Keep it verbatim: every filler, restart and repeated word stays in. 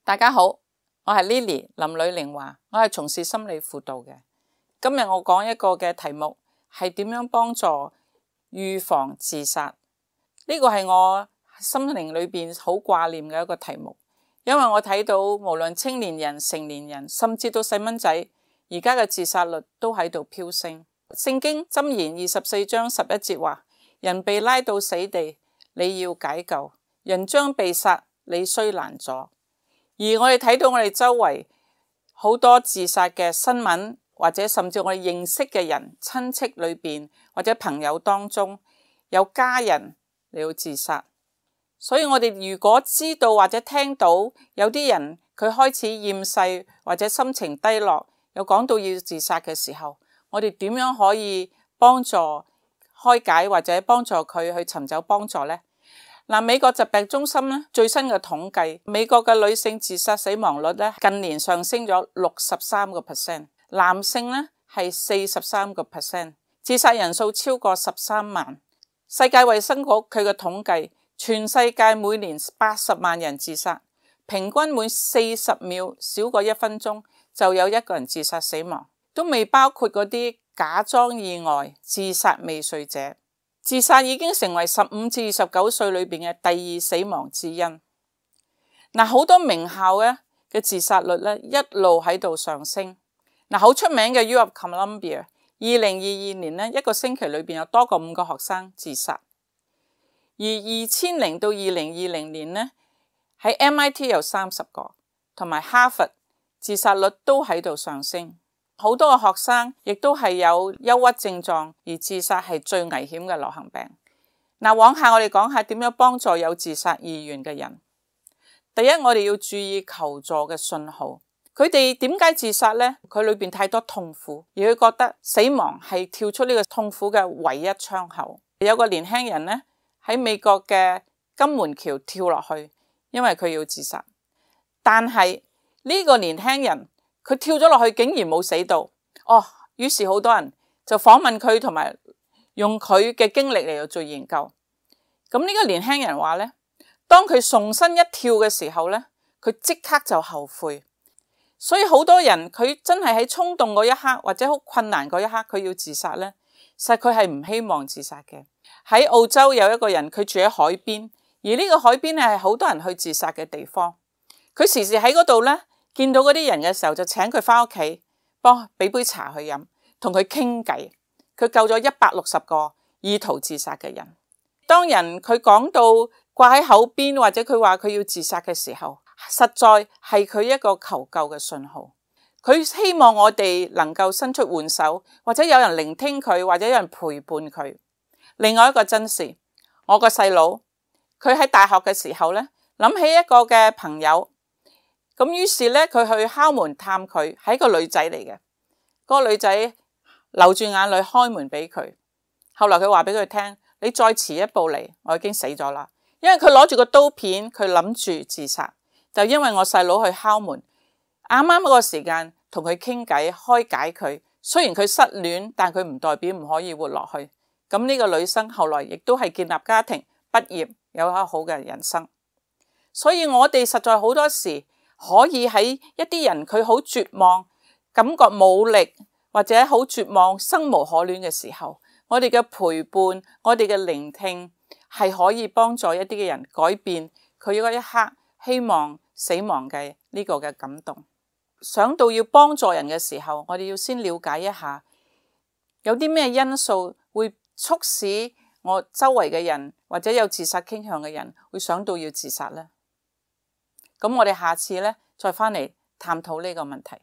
大家好，我係 Lily 林呂玲華，我係從事心理輔導嘅。今日我講一個嘅題目係點樣幫助預防自殺。呢個係我心靈裏邊好掛念嘅一個題目，因為我睇到無論青年人、成年人，甚至到細蚊仔，而家嘅自殺率都喺度飆升。聖經箴言二十四章十一節話：人被拉到死地，你要解救；人將被殺，你須攔阻。而我哋睇到我哋周圍好多自殺嘅新聞，或者甚至我哋認識嘅人、親戚裏邊或者朋友當中有家人嚟到自殺。所以我哋如果知道或者聽到有啲人佢開始厭世或者心情低落，有講到要自殺嘅時候，我哋點樣可以幫助開解或者幫助佢去尋找幫助呢？嗱，美國疾病中心咧最新嘅統計，美國嘅女性自殺死亡率咧近年上升咗六十三個 percent， 男性咧係四十三個 percent， 自殺人數超過十三萬。世界衛生局佢嘅統計，全世界每年八十萬人自殺，平均每四十秒少過一分鐘就有一個人自殺死亡，都未包括嗰啲假裝意外自殺未遂者。自殺已經成為十五至二十九歲裏邊嘅第二死亡之因。嗱，好多名校咧嘅自殺率咧一路喺度上升。嗱，好出名嘅 U of Columbia， 二零二二年咧一個星期裏邊有多過五個學生自殺。而二千零到二零二零年咧喺 M I T 有三十個，同埋哈佛自殺率都喺度上升。好多嘅學生亦都係有憂鬱症狀，而自殺係最危險嘅流行病。嗱，往下我哋講下點樣幫助有自殺意願嘅人。第一，我哋要注意求助嘅信號。佢哋點解自殺呢？佢裏邊太多痛苦，而佢覺得死亡係跳出呢個痛苦嘅唯一窗口。有個年輕人呢，喺美國嘅金門橋跳落去，因為佢要自殺。但係呢個年輕人佢跳咗落去竟然冇死到，哦，於是好多人就訪問佢，同埋用佢嘅經歷嚟到做研究。咁呢個年輕人話呢，當佢重新一跳嘅時候呢，佢即刻就後悔。所以好多人佢真係喺衝動嗰一刻或者好困難嗰一刻佢要自殺呢，實佢係唔希望自殺嘅。喺澳洲有一個人佢住喺海邊，而呢個海邊係好多人去自殺嘅地方。佢時時喺嗰度呢，見到嗰啲人嘅時候就請佢返屋企，幫俾杯茶去飲，同佢傾偈。佢救咗一百六十個意圖自殺嘅人。當人佢講到掛喺口邊，或者佢話佢要自殺嘅時候，實在係佢一個求救嘅信號。佢希望我哋能夠伸出援手，或者有人聆聽佢，或者有人陪伴佢。另外一個真事，我個細佬佢喺大學嘅時候呢，諗起一個嘅朋友。咁於是咧，佢去敲門探佢，係一個女仔嚟嘅。嗰個女仔流住眼淚開門俾佢。後來佢話俾佢聽：你再遲一步嚟，我已經死咗啦。因為佢攞住個刀片，佢諗住自殺，就因為我細佬去敲門，啱啱嗰個時間同佢傾偈，開解佢。雖然佢失戀，但佢唔代表唔可以活落去。咁呢個女生後來亦都係建立家庭、畢業，有一個好嘅人生。所以我哋實在好多時，可以喺一啲人佢好絕望，感覺冇力，或者好絕望、生無可戀嘅時候，我哋嘅陪伴，我哋嘅聆聽係可以幫助一啲嘅人改變佢嗰一刻希望死亡嘅呢個嘅感動。想到要幫助人嘅時候，我哋要先了解一下有啲咩因素會促使我周圍嘅人或者有自殺傾向嘅人會想到要自殺呢？咁我哋下次咧再返嚟探討呢個問題。